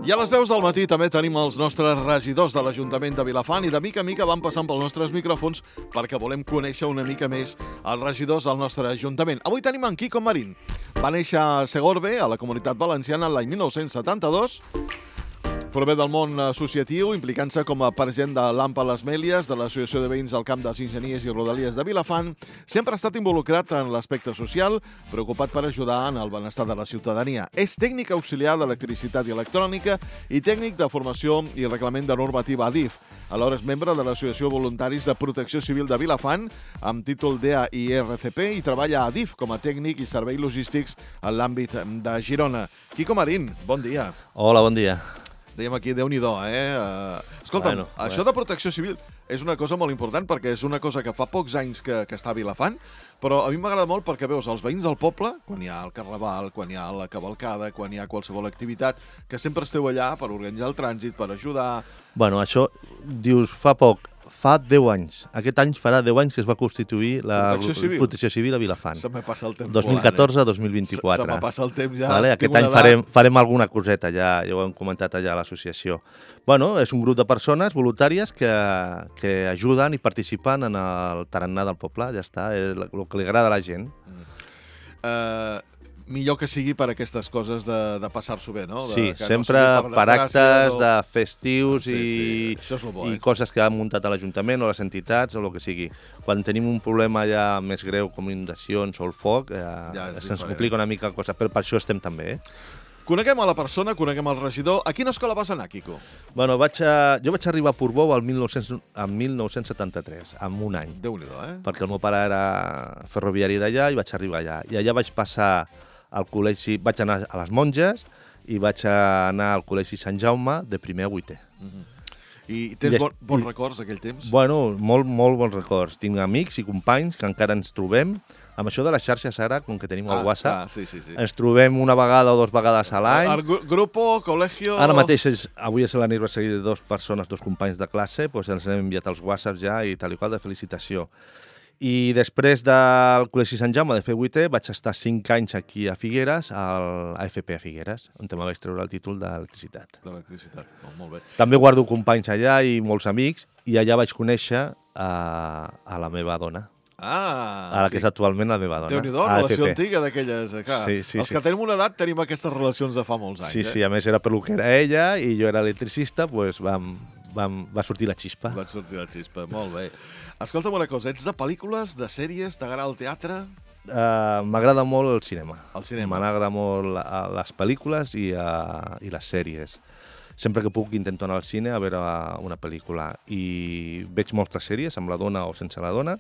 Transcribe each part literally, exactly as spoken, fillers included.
I a les deu del matí també tenim els nostres regidors de l'Ajuntament de Vilafant i de mica en mica van passant pels nostres micròfons perquè volem conèixer una mica més els regidors del nostre Ajuntament. Avui tenim en Quico Marín. Va néixer a Segorbe, a la Comunitat Valenciana, l'any mil nou-cents setanta-dos. Prové del món associatiu, implicant-se com a president de l'AMPA Les Mèlies, de l'Associació de Veïns del Camp dels Enginyers i Rodalies de Vilafant. Sempre ha estat involucrat en l'aspecte social, preocupat per ajudar en el benestar de la ciutadania. És tècnic auxiliar d'electricitat i electrònica i tècnic de formació i reglament de normativa a D I F. Alhora és membre de l'Associació Voluntaris de Protecció Civil de Vilafant, amb títol D A I R C P, i treballa a D I F com a tècnic i serveis logístics en l'àmbit de Girona. Quico Marín, bon dia. Hola, bon dia. Dèiem aquí, Déu-n'hi-do, eh? Escolta'm, bueno, això bueno. de protecció civil és una cosa molt important perquè és una cosa que fa pocs anys que, que està a Vilafant, però a mi m'agrada molt perquè veus els veïns del poble, quan hi ha el carnaval, quan hi ha la cavalcada, quan hi ha qualsevol activitat, que sempre esteu allà per organitzar el trànsit, per ajudar... Bueno, això, dius, fa poc, fa deu anys. Aquest any farà deu anys que es va constituir la Protecció Civil, Protecció Civil a Vilafant. Se me passa el temps dos mil catorze a dos mil volant, eh? vint-i-quatre. Se, se me passa el temps ja. Vale? Aquest any farem, farem alguna coseta, ja, ja ho hem comentat allà a l'associació. Bueno, és un grup de persones voluntàries que, que ajuden i participen en el tarannà del poble, ja està, és el que li agrada a la gent. Mm. Uh, millor que sigui per aquestes coses de, de passar-s'ho bé, no? De, Sí, que sempre no per, per actes o... de festius sí, i, sí. Això és lo bo, eh? i coses que han muntat a l'Ajuntament o les entitats o el que sigui. Quan tenim un problema ja més greu com inundacions o el foc, eh, ja se'ns complica una mica la cosa, però per això estem també. Eh? Coneguem a la persona, coneguem el regidor. A quina escola vas anar, Quico? Bueno, vaig a, jo vaig arribar a Portbou el mil nou-cents, en mil nou-cents setanta-tres, en un any. Déu-n'hi-do, eh? Perquè el meu pare era ferroviari d'allà i vaig arribar allà. I allà vaig passar al col·legi, vaig anar a les Monges i vaig anar al col·legi Sant Jaume de primer a vuitè. Mm-hmm. I tens I bon, bons i, records d'aquell temps? Bueno, molt, molt bons records. Tinc amics i companys que encara ens trobem. Amb això de les xarxes ara, com que tenim el ah, WhatsApp, ah, sí, sí, sí. ens trobem una vegada o dues vegades a l'any. El gru grupo, col·legio... Ara mateix, és, avui és l'aniversari de dues persones, dos companys de classe, doncs ens hem enviat els WhatsApps ja i tal i qual de felicitació. I després del Col·legi Sant Jaume de fer vuitè vaig estar cinc anys aquí a Figueres, al A F P a Figueres, on me vaig treure el títol d'electricitat. D'electricitat, oh, molt bé. També guardo companys allà i molts amics, i allà vaig conèixer a, a la meva dona. Ah, a la sí. que és actualment la meva dona. Déu-n'hi-do, relació antiga d'aquelles. Sí, sí, Els sí. que tenim una edat tenim aquestes relacions de fa molts anys. Sí, eh? sí, a més era pel que era ella i jo era electricista, doncs vam, vam, va sortir la xispa. Va sortir la xispa, molt bé. Escolta'm una cosa, ets de pel·lícules, de sèries, t'agrada el teatre? Uh, M'agrada molt el cinema. El cinema. M'agrada molt la, les pel·lícules i, uh, i les sèries. Sempre que puc intento anar al cine a veure una pel·lícula. I veig moltes sèries, amb la dona o sense la dona,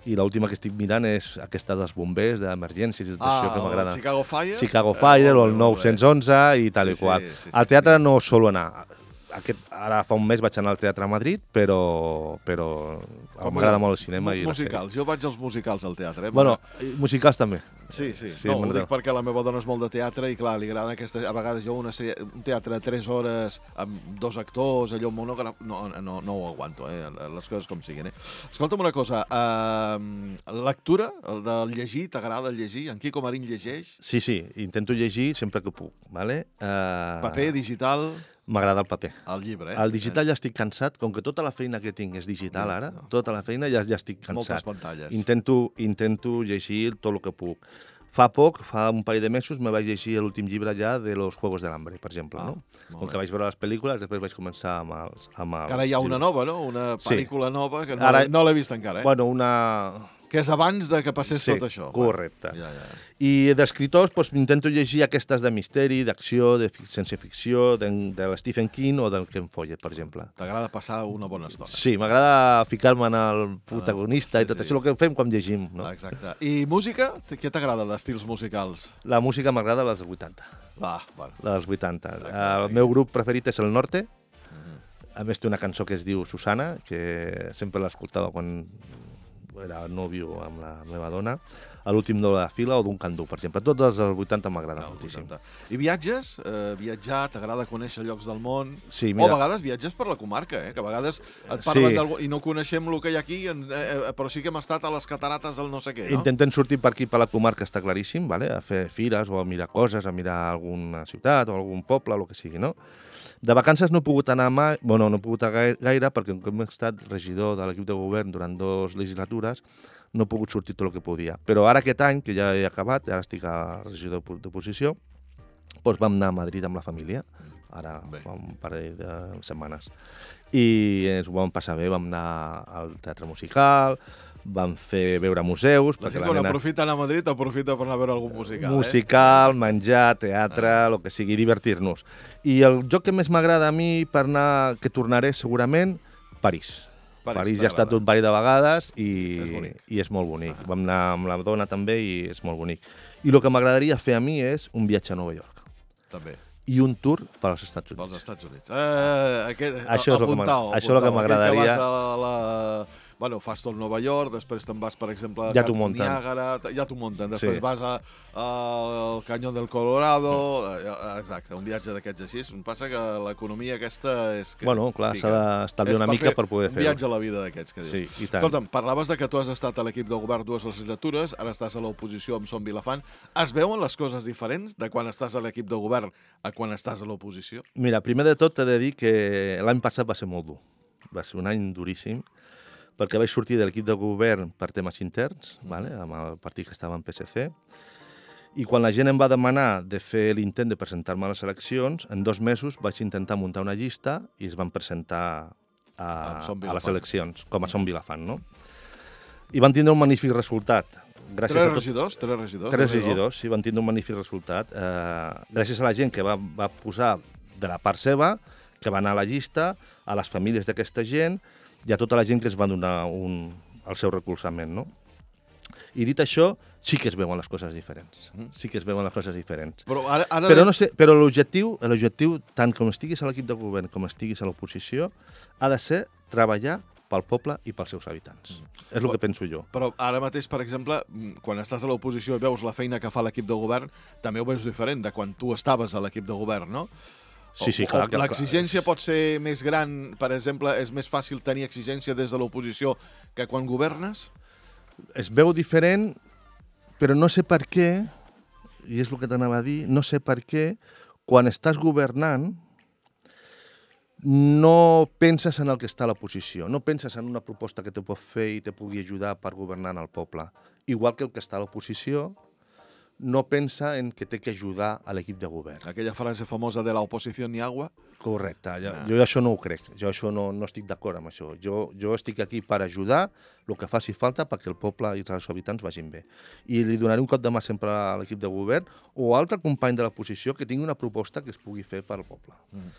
i l'última que estic mirant és aquesta dels bombers, d'emergències i tot ah, això que m'agrada. Chicago Fire? Chicago Fire, eh, o el nou onze i tal sí, i qual. Sí, sí, al teatre no solo anar. Aquest, ara fa un mes vaig anar al Teatre a Madrid, però, però m'agrada molt el cinema i les musicals. Jo vaig als musicals al teatre. Eh? Bueno, musicals també. Sí, sí. sí no, ho dic perquè la meva dona és molt de teatre i, clar, li agrada aquesta... A vegades jo una sèrie, un teatre de tres hores amb dos actors, allò monògraf... No, no, no ho aguanto, eh? Les coses com siguin, eh? Escolta'm una cosa, uh, lectura, el del llegir, t'agrada el llegir? En Quico Marín llegeix? Sí, sí, intento llegir sempre que puc, ¿vale? Uh... Paper, digital... M'agrada el paper. El llibre, eh? El digital ja estic cansat, com que tota la feina que tinc és digital ara, no. tota la feina ja, ja estic cansat. Moltes pantalles. Intento, intento llegir tot el que puc. Fa poc, fa un parell de mesos, me vaig llegir l'últim llibre ja de Los Juegos del Hambre, per exemple. Ah, no? Com que vaig veure les pel·lícules, després vaig començar amb els, amb els Ara hi ha una llibres. nova, no? Una pel·lícula sí. nova que no, ara, no l'he vist encara, eh? Bueno, una... Que és abans de que passés sí, tot això. Correcte. Ja, ja. I d'escriptors doncs, intento llegir aquestes de misteri, d'acció, de ciència ficció, de, de Stephen King o del Ken Follett, per exemple. T'agrada passar una bona estona. Sí, m'agrada ficar-me en el protagonista ah, sí, i tot sí. això, el que fem quan llegim. No? Exacte. I música? Què t'agrada d'estils musicals? La música m'agrada dels vuitanta. Va, bueno. Dels vuitanta. El meu grup preferit és el Norte. Uh-huh. A més té una cançó que es diu Susana, que sempre l'escoltava quan... era nòvio amb la meva dona, a l'últim de la fila o d'un candú, per exemple. Tots els dels vuitanta m'agraden moltíssim. I viatges? Eh, viatjar, t'agrada conèixer llocs del món? Sí, mira. O a vegades viatges per la comarca, eh? Que a vegades et parlen sí. d'algú i no coneixem el que hi ha aquí, eh, però sí que hem estat a les catarates del no sé què, no? Intentem sortir per aquí, per la comarca, està claríssim, vale? A fer fires o a mirar coses, a mirar alguna ciutat o algun poble, el que sigui, no? De vacances no he pogut anar mai, bueno, no he pogut anar gaire perquè com he estat regidor de l'equip de govern durant dues legislatures, no he pogut sortir tot el que podia. Però ara aquest any, que ja he acabat, ara estic a regidor d'oposició, doncs vam anar a Madrid amb la família, ara Bé. fa un parell de setmanes. I ens ho vam passar bé, vam anar al teatre musical, vam fer veure museus... La gent quan nena... aprofita anar a Madrid, aprofita per anar a veure algun musical. Musical, eh? menjar, teatre, el ah. que sigui, divertir-nos. I el joc que més m'agrada a mi per anar, que tornaré segurament, París. París, París ja ha estat un parell de vegades i és, i és molt bonic. Ah. Vam anar amb la dona també i és molt bonic. I el que m'agradaria fer a mi és un viatge a Nova York. També. I un tour per als Estats Units. Pels Estats Units. Eh, aquest, això és apuntau, el que m'agradaria. Que vas a la... Bueno, fas tot Nova York, després te'n vas, per exemple, ja a Niàgara, ja t'ho munten, després sí. vas a, a, al Canyó del Colorado, exacte, un viatge d'aquests així. Em passa que l'economia aquesta és... Que bueno, clar, s'ha d'estalviar una mica per poder fer-ho. Un viatge a la vida d'aquests, que dius. Sí, i tant. Escolta'm, parlaves de que tu has estat a l'equip de govern dues legislatures, ara estàs a l'oposició amb Som Vilafant. Es veuen les coses diferents de quan estàs a l'equip de govern a quan estàs a l'oposició? Mira, primer de tot t'he de dir que l'any passat va ser molt dur. Va ser un any duríssim, perquè vaig sortir de l'equip de govern per temes interns, vale? Amb el partit que estava en P S C, i quan la gent em va demanar de fer l'intent de presentar-me a les eleccions, en dos mesos vaig intentar muntar una llista i es van presentar a, a les eleccions, com a Som Vilafant, no? I van tindre un magnífic resultat. Gràcies tres a tot... regidors? Tres regidors? Tres regidors, sí, van tindre un magnífic resultat. Eh, gràcies a la gent que va, va posar de la part seva, que va anar a la llista, a les famílies d'aquesta gent, i a tota la gent que es va donar un, el seu recolzament, no? I dit això, sí que es veuen les coses diferents. Sí que es veuen les coses diferents. Però ara, ara però, no sé, però l'objectiu, l'objectiu, tant com estiguis a l'equip de govern com estiguis a l'oposició, ha de ser treballar pel poble i pels seus habitants. Mm. És el que penso jo. Però ara mateix, per exemple, quan estàs a l'oposició i veus la feina que fa l'equip de govern, també ho veus diferent de quan tu estaves a l'equip de govern, no? Sí, sí, clar. L'exigència pot ser més gran, per exemple, és més fàcil tenir exigència des de l'oposició que quan governes? Es veu diferent, però no sé per què, i és el que t'anava a dir, no sé per què, quan estàs governant, no penses en el que està a l'oposició, no penses en una proposta que te pot fer i te pugui ajudar per governar en el poble. Igual que el que està a l'oposició, no pensa en que té que ajudar a l'equip de govern. Aquella frase famosa de la oposició ni agua? Correcte. Jo, ah. jo això no ho crec. Jo això no, no estic d'acord amb això. Jo, jo estic aquí per ajudar el que faci falta perquè el poble i els seus habitants vagin bé. I li donaré un cop de mà sempre a l'equip de govern o a altre company de l'oposició que tingui una proposta que es pugui fer per al poble. Mm.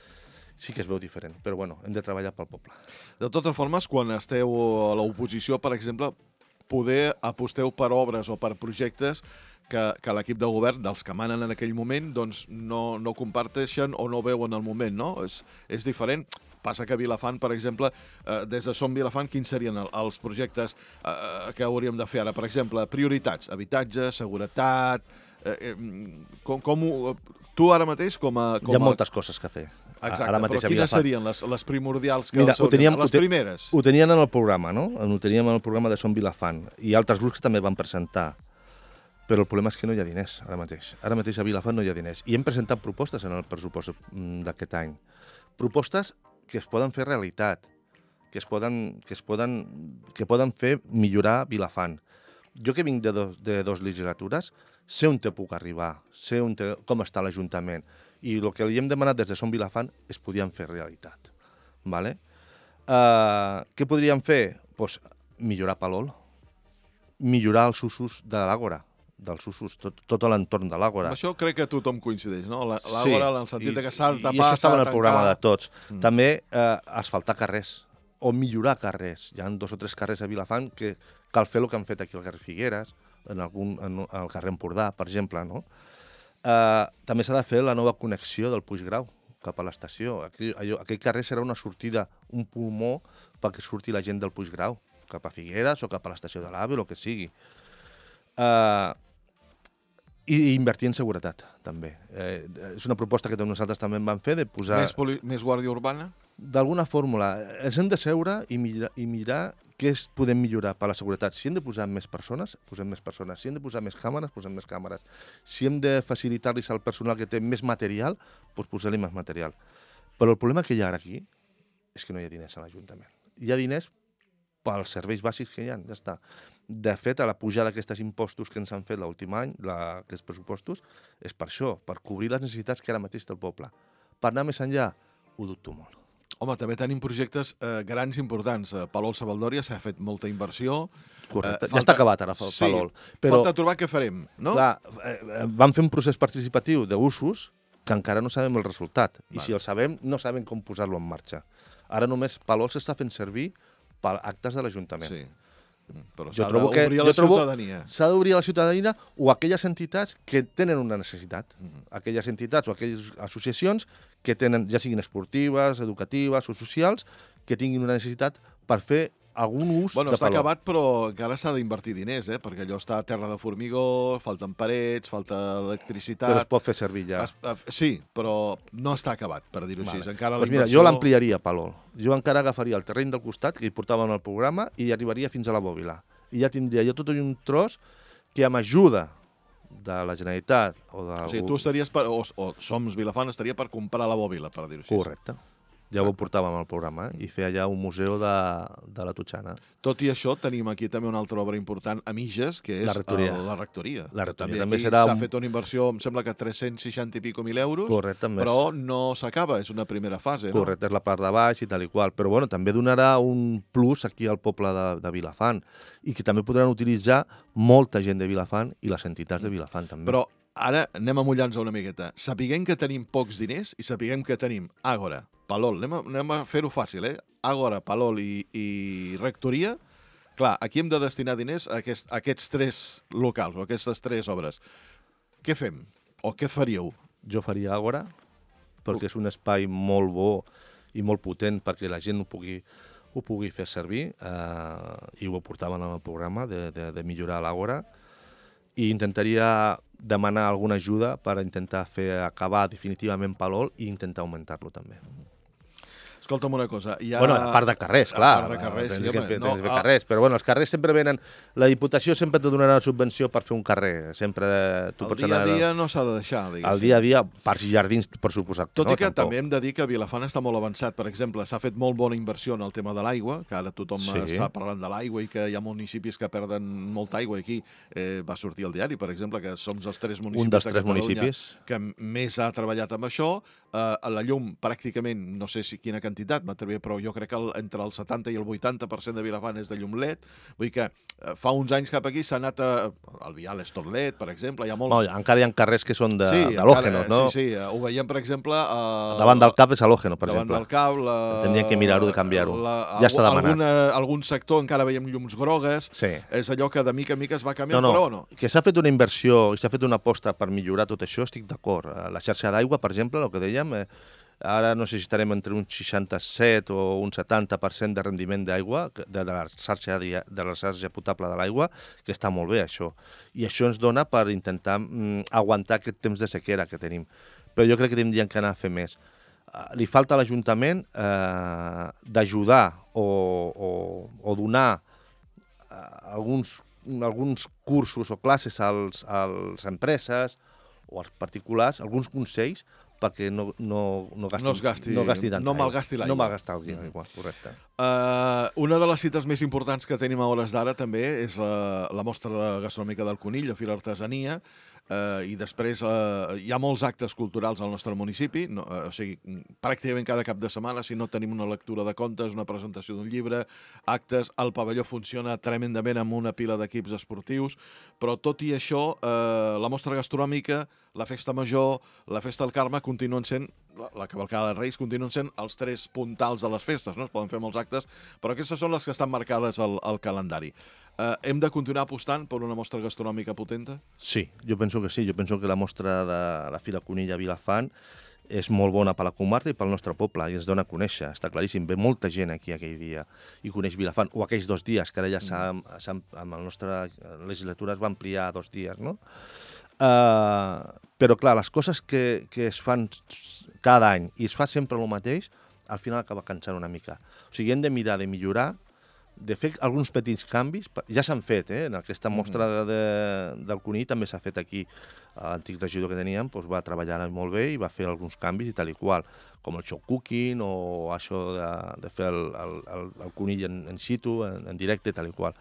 Sí que es veu diferent, però bueno, hem de treballar pel poble. De totes formes, quan esteu a l'oposició, per exemple, poder aposteu per obres o per projectes que, que l'equip de govern, dels que manen en aquell moment, doncs no, no comparteixen o no veuen el moment, no? És, és diferent. Passa que a Vilafant, per exemple, eh, des de Som Vilafant, quins serien els projectes eh, que hauríem de fer ara? Per exemple, prioritats, habitatge, seguretat... Eh, eh, com, com ho, tu ara mateix com a... Com Hi ha moltes coses que fer. Exacte, ara mateix però quines serien les, les primordials que Mira, ho teníem, les primeres? Ho tenien en el programa, no? Ho teníem en el programa de Som Vilafant i altres grups que també van presentar. Però el problema és que no hi ha diners ara mateix. Ara mateix a Vilafant no hi ha diners. I hem presentat propostes en el pressupost d'aquest any. Propostes que es poden fer realitat, que es poden, que es poden, que poden fer millorar Vilafant. Jo que vinc de dos, de dos legislatures, sé on te puc arribar, sé on te, com està l'Ajuntament. I el que li hem demanat des de Som Vilafant es podien fer realitat. Vale? Uh, què podríem fer? Pues, millorar Palol, millorar els usos de l'Àgora, dels usos, tot, tot l'entorn de l'Àgora. Amb això crec que tothom coincideix, no? L'Àgora, sí, en el sentit i, de que s'ha de tapar, i això estava en el programa de tots. Mm. També eh, asfaltar carrers, o millorar carrers. Hi ha dos o tres carrers a Vilafant que cal fer el que han fet aquí al carrer Figueres, en algun, en, al carrer Empordà, per exemple, no? Uh, també s'ha de fer la nova connexió del Puiggrau cap a l'estació. Aquell, aquell carrer serà una sortida, un pulmó perquè surti la gent del Puiggrau. cap a Figueres o cap a l'estació de l'AVE, el que sigui. Uh, I invertir en seguretat, també. Eh, és una proposta que nosaltres també vam fer, de posar... Més, poli... més guàrdia urbana? D'alguna fórmula. Ens hem de seure i mirar, i mirar què es podem millorar per la seguretat. Si hem de posar més persones, posem més persones. Si hem de posar més càmeres, posem més càmeres. Si hem de facilitar-los al personal que té més material, doncs posem-li més material. Però el problema que hi ha ara aquí és que no hi ha diners a l'Ajuntament. Hi ha diners pels serveis bàsics que hi ha, ja està. De fet, a la pujada d'aquests impostos que ens han fet l'últim any, la, aquests pressupostos, és per això, per cobrir les necessitats que ara mateix té el poble. Per anar més enllà, ho dubto molt. Home, també tenim projectes eh, grans importants. A Palol Sabaldòria s'ha fet molta inversió. Correcte, eh, falta... ja està acabat ara, Palol. Sí, però... falta trobar què farem, no? Clar, eh, vam fer un procés participatiu d'usos que encara no sabem el resultat. I vale. Si el sabem, no sabem com posar-lo en marxa. Ara només Palol s'està fent servir per actes de l'Ajuntament. Sí. Però s'ha d'obrir a la ciutadania. S'ha d'obrir a la ciutadania o a aquelles entitats que tenen una necessitat. Mm-hmm. Aquelles entitats o aquelles associacions que tenen, ja siguin esportives, educatives o socials, que tinguin una necessitat per fer algun ús bueno, de està Palol. acabat, però encara s'ha d'invertir diners, eh? Perquè allò està a terra de formigó, falten parets, falta electricitat... Però es pot fer servir ja. Es, uh, sí, però no està acabat, per dir-ho vale. així. Encara pues mira, jo l'ampliaria, Palol. Jo encara agafaria el terreny del costat que hi portàvem al programa i arribaria fins a la Bòbila. I ja tindria jo tot un tros que amb ajuda de la Generalitat o de... O sigui, tu estaries per... O, o Soms Vilafant estaria per comprar la Bòbila, per dir-ho així. Correcte. Ja ho portàvem al programa, eh? I fer allà un museu de, de la Totxana. Tot i això, tenim aquí també una altra obra important a Miges, que és la rectoria. El, la rectoria. La rectoria també, també serà... S'ha un... fet una inversió, em sembla que tres-cents seixanta i pico mil euros, correcte, però no s'acaba, és una primera fase, no? Correcte, és la part de baix i tal i qual. Però bueno, també donarà un plus aquí al poble de, de Vilafant i que també podran utilitzar molta gent de Vilafant i les entitats de Vilafant també. Però ara anem a mullar-nos una miqueta. Sapiguem que tenim pocs diners i sapiguem que tenim Àgora, Palol, anem a, anem a fer-ho fàcil, eh? Àgora, Palol i, i Rectoria. Clar, aquí hem de destinar diners a, aquest, a aquests tres locals o a aquestes tres obres. Què fem? O què faríeu? Jo faria Àgora, perquè és un espai molt bo i molt potent perquè la gent ho pugui, ho pugui fer servir, eh, i ho portaven en el programa de, de, de millorar l'Àgora, i intentaria demanar alguna ajuda per intentar fer acabar definitivament Palol i intentar augmentar-lo també. Escolta'm una cosa. Ha... Bueno, a part de carrers, clar. A part de carrers, tens sí, que home. fer, No, tens que fer ah. carrers, però bueno, els carrers sempre venen... La Diputació sempre te donarà una subvenció per fer un carrer. Sempre tu el pots dia anar... a dia no s'ha de deixar, diguéssim. El dia a dia, parcs i jardins, per suposat. Tot no, i que tampoc. també hem de dir que Vilafant està molt avançat. Per exemple, s'ha fet molt bona inversió en el tema de l'aigua, que ara tothom Sí. està parlant de l'aigua i que hi ha municipis que perden molta aigua. Aquí eh, va sortir al diari, per exemple, que som els tres municipis Un dels de tres Catalunya municipis. que més ha treballat amb això. Eh, a la llum, pràcticament, no sé si quina quantitat, m'atreviré, però jo crec que el, entre el setanta i el vuitanta per cent de Vilafant és de llum L E D. Vull dir que eh, fa uns anys cap aquí s'ha anat a... El Vial és tot L E D, per exemple. Hi ha molts... No, encara hi ha carrers que són de, sí, d'halògenos, encara, no? Sí, sí, ho veiem, per exemple... Eh, Davant del cap és halògeno, per davant exemple. del cap... La, Tendrien que mirar-ho de canviar-ho. la- Ja està demanat. Alguna, algun sector encara veiem llums grogues. Sí. És allò que de mica en mica es va canviant, No, no, però no. que s'ha fet una inversió i s'ha fet una aposta per millorar tot això, estic d'acord. Eh, La xarxa d'aigua, per exemple, el que dèiem, eh, ara no sé si estarem entre un seixanta-set o un setanta per cent de rendiment d'aigua, que- de, de, la xarxa, di- de la xarxa potable de l'aigua, que està molt bé, això. I això ens dona per intentar mm, aguantar aquest temps de sequera que tenim. Però jo crec que tindríem que anar a fer més. Uh, li falta a l'Ajuntament eh, d'ajudar o, o, o donar uh, alguns, alguns cursos o classes als, als empreses o als particulars, alguns consells perquè no, no, no, gastin, No es gasti- no, gasti tanta no aigua. malgasti l'aigua. No malgastar l'aigua, correcte. Uh, una de les cites més importants que tenim a hores d'ara també és la, la mostra gastronòmica del Conill, a Fira Artesania, uh, i després uh, hi ha molts actes culturals al nostre municipi, no, uh, o sigui, pràcticament cada cap de setmana, si no tenim una lectura de contes, una presentació d'un llibre, actes, el pavelló funciona tremendament amb una pila d'equips esportius, però tot i això, uh, la mostra gastronòmica, la festa major, la festa del Carme continuen sent, la, la cavalcada de Reis continuen sent els tres puntals de les festes, no? Es poden fer molts actes, però aquestes són les que estan marcades al, al calendari. Eh, hem de continuar apostant per una mostra gastronòmica potenta? Sí, jo penso que sí. Jo penso que la mostra de la Fira Conill a Vilafant és molt bona per la comarca i pel nostre poble, i ens dona a conèixer, està claríssim. Ve molta gent aquí aquell dia i coneix Vilafant, o aquells dos dies, que ara ja s'ha, s'ha, amb la nostra legislatura es va ampliar a dos dies, no? Uh, però clar, les coses que, que es fan cada any i es fa sempre el mateix, al final acaba cansant una mica. O sigui, hem de mirar de millorar, de fer alguns petits canvis, ja s'han fet, eh? En aquesta mostra de, del conill també s'ha fet aquí, l'antic regidor que teníem doncs va treballar molt bé i va fer alguns canvis i tal i qual, com el show cooking o això de, de fer el, el, el, el conill en, en situ, en, en directe, tal i qual,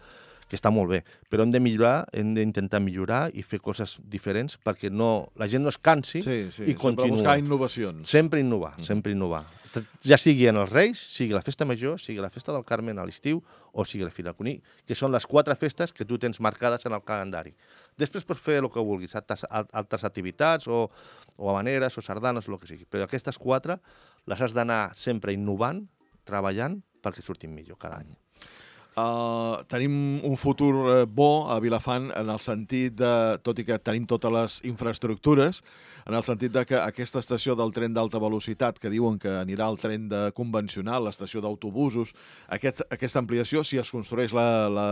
que està molt bé, però hem de millorar, hem d'intentar millorar i fer coses diferents perquè no, la gent no es cansi sí, sí, i continuï. Sempre buscar innovacions. Sempre innovar, mm. sempre innovar. Ja sigui en els Reis, sigui la Festa Major, sigui la Festa del Carmen a l'estiu o sigui la Fira del Conill, que són les quatre festes que tu tens marcades en el calendari. Després pots fer el que vulguis, altres, altres activitats o, o habaneres o sardanes o el que sigui, però aquestes quatre les has d'anar sempre innovant, treballant, perquè surtin millor cada any. Uh, tenim un futur uh, bo a Vilafant en el sentit de, tot i que tenim totes les infraestructures, en el sentit de que aquesta estació del tren d'alta velocitat, que diuen que anirà al tren de convencional, l'estació d'autobusos, aquest, aquesta ampliació, si es construeix la, la,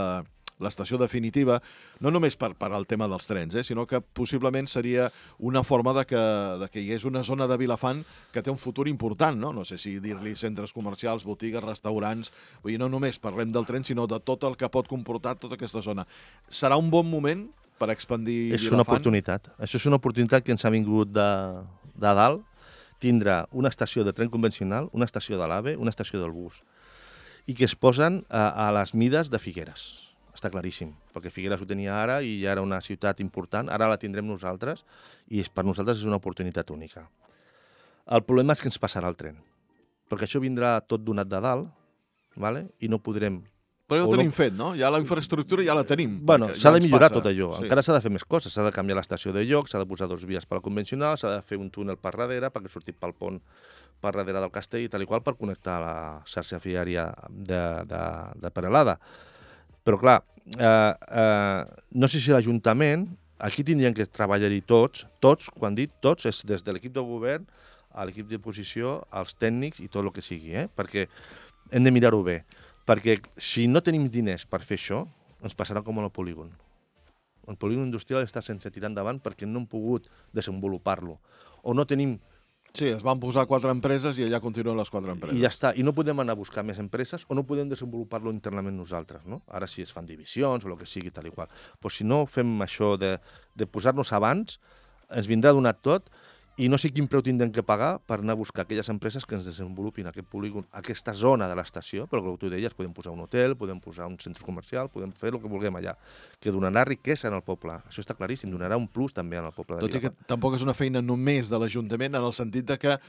l'estació definitiva, no només per, per al tema dels trens, eh, sinó que possiblement seria una forma de que, de que hi hagués una zona de Vilafant que té un futur important, no? No sé si dir-li centres comercials, botigues, restaurants, vull dir, no només parlem del tren, sinó de tot el que pot comportar tota aquesta zona. Serà un bon moment per expandir és Vilafant? És una oportunitat. Això és una oportunitat que ens ha vingut de, de dalt, tindrà una estació de tren convencional, una estació de l'AVE, una estació del bus, i que es posen a, a les mides de Figueres. Està claríssim, perquè Figueres ho tenia ara i ja era una ciutat important, ara la tindrem nosaltres i per nosaltres és una oportunitat única. El problema és que ens passarà el tren, perquè això vindrà tot donat de dalt, vale? I no podrem... Però ja ho tenim no... fet, no? Ja la infraestructura ja la tenim. Bueno, s'ha ja de millorar passa. tot allò, sí. Encara s'ha de fer més coses, s'ha de canviar l'estació de lloc, s'ha de posar dos vies per la convencional, s'ha de fer un túnel per darrere perquè surti pel pont per darrere del castell i tal i qual per connectar la xarxa viària de, de, de Peralada. Però, clar, eh, eh, no sé si l'Ajuntament, aquí tindrien que treballar-hi tots, tots, quan dit tots, és des de l'equip de govern a l'equip d'oposició, als tècnics i tot el que sigui, eh? Perquè hem de mirar-ho bé. Perquè si no tenim diners per fer això, ens passarà com en el polígon. El polígon industrial està sense tirar endavant perquè no hem pogut desenvolupar-lo. O no tenim... Sí, es van posar quatre empreses i allà continuen les quatre empreses. I ja està. I no podem anar a buscar més empreses o no podem desenvolupar-lo internament nosaltres, no? Ara sí es fan divisions o el que sigui, tal i qual. Però si no fem això de, de posar-nos abans, ens vindrà donat tot i no sé quin preu tindrem que pagar per anar a buscar aquelles empreses que ens desenvolupin aquest polígon, aquesta zona de l'estació, però com tu deies, podem posar un hotel, podem posar un centre comercial, podem fer el que vulguem allà, que donarà riquesa en el poble. Això està claríssim, donarà un plus també en el poble de Tot Vilafant. i que tampoc és una feina només de l'Ajuntament, en el sentit de que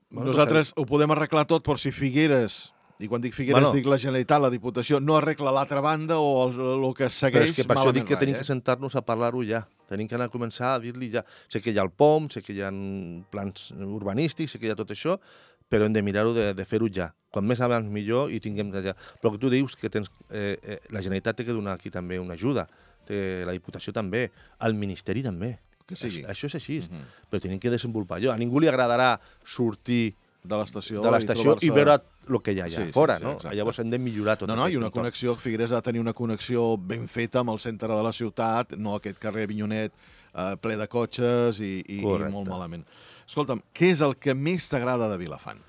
bueno, nosaltres ho podem arreglar tot, però si Figueres... I quan dic Figueres bueno, dic la Generalitat, la Diputació, no arregla l'altra banda o el, el que segueix... Però és que per això dic que rai, tenim eh? que sentar-nos a parlar-ho ja. Tenim que anar a començar a dir-li ja... Sé que hi ha el P O M, sé que hi ha plans urbanístics, sé que hi ha tot això, però hem de mirar-ho de, de fer-ho ja. Quan més abans millor i tinguem ja. Però que tu dius que tens, eh, eh, la Generalitat té que donar aquí també una ajuda, té, la Diputació també, el Ministeri també. Que sigui. Això, això és així, uh Mhm. -huh. Però tenim que desenvolupar allò. A ningú li agradarà sortir de l'estació de l'estació i, i veure el que hi ha allà sí, fora, sí, sí, no? exacte. Llavors hem de millorar tot No, no, i una entorn. connexió, Figueres ha de tenir una connexió ben feta amb el centre de la ciutat, no aquest carrer Avinyonet eh, ple de cotxes i, i, i molt malament. Escolta'm, què és el que més t'agrada de Vilafant?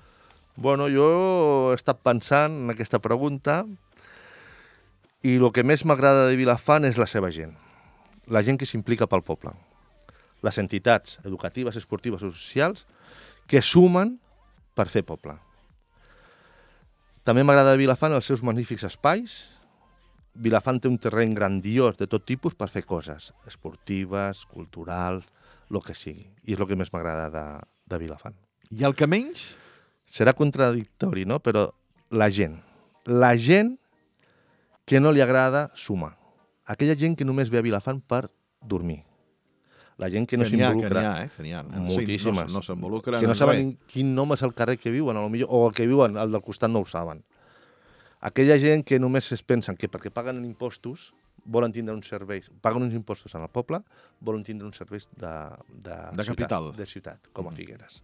Bueno, jo he estat pensant en aquesta pregunta i el que més m'agrada de Vilafant és la seva gent, la gent que s'implica pel poble, les entitats educatives, esportives o socials que sumen per fer poble. També m'agrada de Vilafant els seus magnífics espais. Vilafant té un terreny grandiós de tot tipus per fer coses esportives, culturals, el que sigui. I és el que més m'agrada de, de Vilafant. I el que menys? Serà contradictori, no? Però la gent. La gent que no li agrada sumar. Aquella gent que només ve a Vilafant per dormir. La gent que no s'involucra. Que n'hi ha, eh? Que n'hi ha. Moltíssimes. Sí, no, no s'involucren. Que no saben quin nom és el carrer que viuen, potser, o el que viuen, el del costat no ho saben. Aquella gent que només es pensen que perquè paguen impostos volen tindre uns serveis, paguen uns impostos en el poble, volen tindre uns serveis de, de, de ciutat, capital. de ciutat, com a Figueres.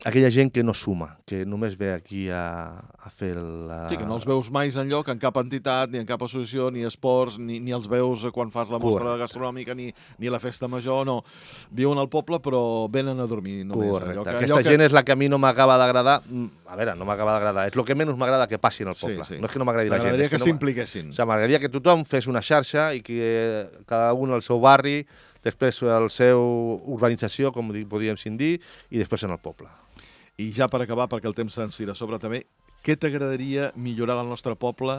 aquella gent que no suma, que només ve aquí a, a fer la... Sí, que no els veus mai enlloc, en cap entitat, ni en cap associació, ni esports, ni, ni els veus quan fas la mostra Correcte. gastronòmica, ni, ni la festa major, no. Viuen al poble, però venen a dormir només. Correcte. Allò que, Aquesta allò gent és la que a mi no m'acaba d'agradar. A veure, no m'acaba d'agradar. És el que menys m'agrada que passi en el poble. Sí, sí. No és que no m'agradi la gent. M'agradaria és que no s'impliquessin. O sigui, m'agradaria que tothom fes una xarxa i que cada un al seu barri, després al seu urbanització, com podríem dir, i després en el poble. I ja per acabar, perquè el temps se'ns tira a sobre també, què t'agradaria millorar del nostre poble?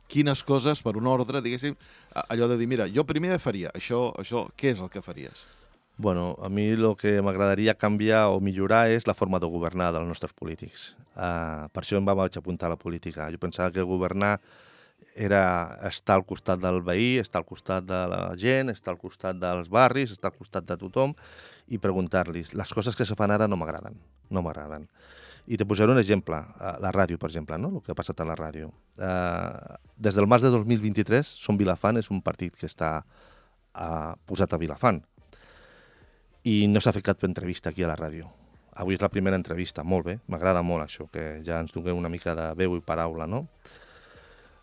Quines coses, per un ordre, diguéssim, allò de dir, mira, jo primer faria això, això, què és el que faries? Bueno, a mi el que m'agradaria canviar o millorar és la forma de governar dels nostres polítics. Uh, per això em vaig apuntar a la política. Jo pensava que governar era estar al costat del veí, estar al costat de la gent, estar al costat dels barris, estar al costat de tothom i preguntar-los. Les coses que se fan ara no m'agraden, no m'agraden. I te posaré un exemple, la ràdio, per exemple, no? El que ha passat a la ràdio. Uh, des del març de dos mil vint-i-tres, Som Vilafant és un partit que està uh, posat a Vilafant i no s'ha fet cap entrevista aquí a la ràdio. Avui és la primera entrevista, molt bé, m'agrada molt això, que ja ens donem una mica de veu i paraula, no?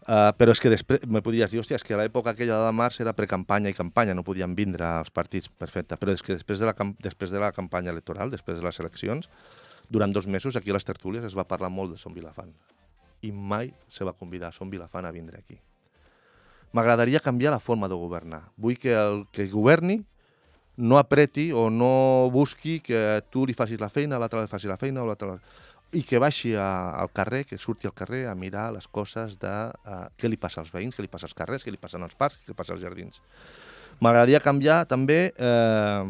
Uh, però és que després me podies dir, hòstia, és que a l'època aquella de març era precampanya i campanya, no podien vindre als partits, perfecte, però és que després de, la, després de la campanya electoral, després de les eleccions, durant dos mesos aquí a les tertúlies es va parlar molt de Som Vilafant i mai se va convidar a Som Vilafant a vindre aquí. M'agradaria canviar la forma de governar. Vull que el que governi no apreti o no busqui que tu li facis la feina, l'altre li faci la feina, o l'altre... i que baixi a, al carrer, que surti al carrer a mirar les coses de uh, què li passa als veïns, què li passa als carrers, què li passa als parcs, què li passa als jardins. M'agradaria canviar també eh,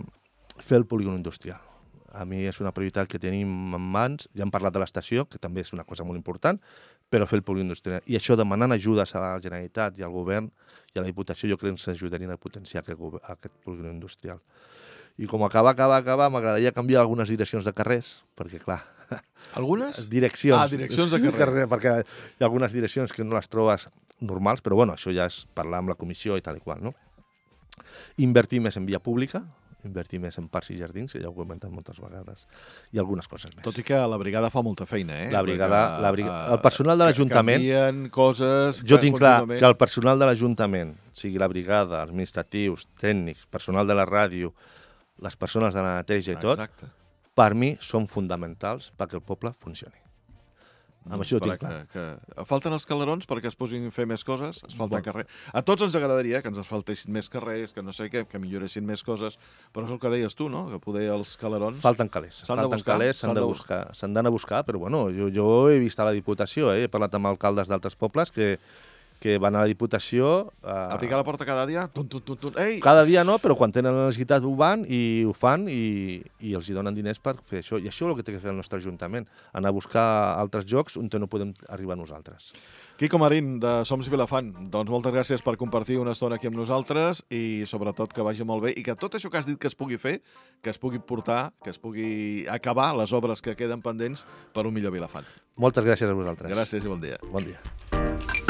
fer el polígon industrial. A mi és una prioritat que tenim en mans, ja hem parlat de l'estació, que també és una cosa molt important, però fer el polígon industrial. I això demanant ajudes a la Generalitat i al govern i a la Diputació, jo crec que ens ajudarien a potenciar aquest, aquest polígon industrial. I com acaba, acaba, acaba, m'agradaria canviar algunes direccions de carrers, perquè clar... Algunes? Direccions. Ah, direccions de carrer. carrer. Perquè hi ha algunes direccions que no les trobes normals, però bueno, això ja és parlar amb la comissió i tal i qual, no? Invertir més en via pública, invertir més en parcs i jardins, que ja ho he comentat moltes vegades, i algunes coses més. Tot i que la brigada fa molta feina, eh? La brigada, Perquè, la brigada, el personal de l'Ajuntament... Canvien coses... Jo tinc clar que el personal de l'Ajuntament, sigui la brigada, administratius, tècnics, personal de la ràdio, les persones de la neteja i tot, Exacte. per mi són fonamentals perquè el poble funcioni. Amb això ho tinc clar. Que, que falten els calerons perquè es posin a fer més coses, es falta Bueno. carrer. A tots ens agradaria que ens asfaltessin més carrers, que no sé què, que milloressin més coses, però és el que deies tu, no? Que poder els calerons... Falten calés. S'han de Falten buscar, calés, s'han s'han de de buscar, s'han d'anar a buscar, però bueno, jo, jo he vist a la Diputació, eh? He parlat amb alcaldes d'altres pobles que, que van a la Diputació... Eh, A picar la porta cada dia, tun, tun, tun, tun, ei! Cada dia no, però quan tenen la necessitat ho van i ho fan i, i els hi donen diners per fer això. I això és el que té que fer el nostre Ajuntament, anar a buscar altres llocs on no podem arribar nosaltres. Quico Marín, de Soms Vilafant, doncs moltes gràcies per compartir una estona aquí amb nosaltres i sobretot que vagi molt bé i que tot això que has dit que es pugui fer, que es pugui portar, que es pugui acabar les obres que queden pendents per un millor Vilafant. Moltes gràcies a vosaltres. Gràcies i bon dia. Bon dia.